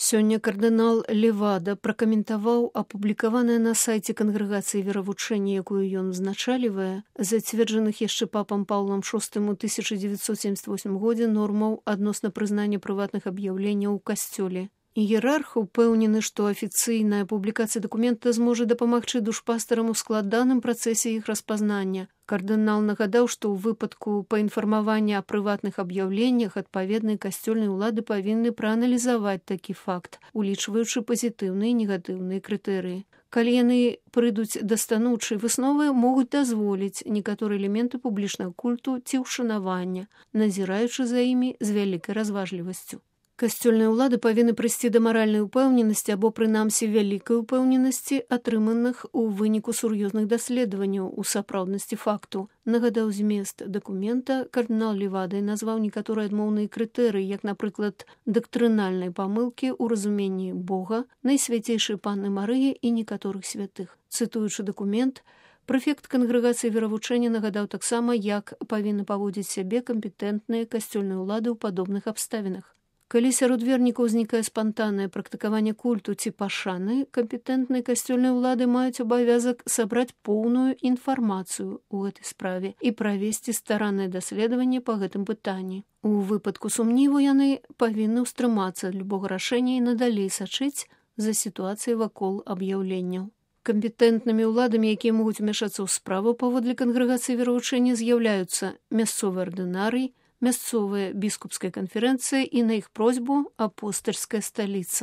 Сёння кардынал Левада пракаментаваў апублікаванае на сайце кангрэгацыі веравучэння, якую ён узначалівае, зацверджаных яшчэ папам Паўлам VI у 1978 годзе нормаў адносна прызнання прыватных аб'яўленняў у касцёле. Іерарх упэўнены, што афіцыйная публікацыя дакумента зможа дапамагчы душпастарам у складаным працэсе іх распазнання. Кардынал нагадаў, што ў выпадку паінфармавання аб прыватных аб'яўленнях адпаведнай касцёльнай улады павінны прааналізаваць такі факт, улічваючы пазітыўныя і негатыўныя крытэрыі. Калі яны прыйдуць да станоўчай высновы, могуць дазволіць некаторыя элементы публічнага культу ці ўшанавання, назіраючы за імі з вялікай разважлівасцю. Касцёльныя ўлады павінны прыйсці да маральнай упэўненасці або, прынамсі, вялікай упэўненасці, атрыманых у выніку сур'ёзных даследаванняў у сапраўднасці факту. Нагадаў змест дакумента, кардынал Левада назваў некаторыя адмоўныя крытэрыі, як, напрыклад, дактрынальнай памылкі ў разуменні Бога, Найсвяцейшай Панны Марыі і некаторых святых. Цытуючы дакумент, прэфект кангрэгацыі веравучэння нагадаў таксама, як павінны паводзіць сябе кампетэнтныя касцёльныя ўлады ў падобных абставінах. Калі сярод вернікаў узнікае спантаннае практыкаванне культу ці пашаны, кампетэнтныя касцёльныя ўлады маюць абавязак сабраць поўную інфармацыю ў гэтай справе і правесці стараннае даследаванне па гэтым пытанні. У выпадку сумніву яны павінны ўстрымацца ад любога рашэння і надалей сачыць за сітуацыяй вакол аб'яўленняў. Кампетэнтнымі ўладамі, якія могуць умяшацца ў справу паводле кангрэгацыі веравучэння, з'яўляюцца мясцовы ардынарый, мясцовая біскупская канферэнцыя і на іх просьбу апостальская сталіца.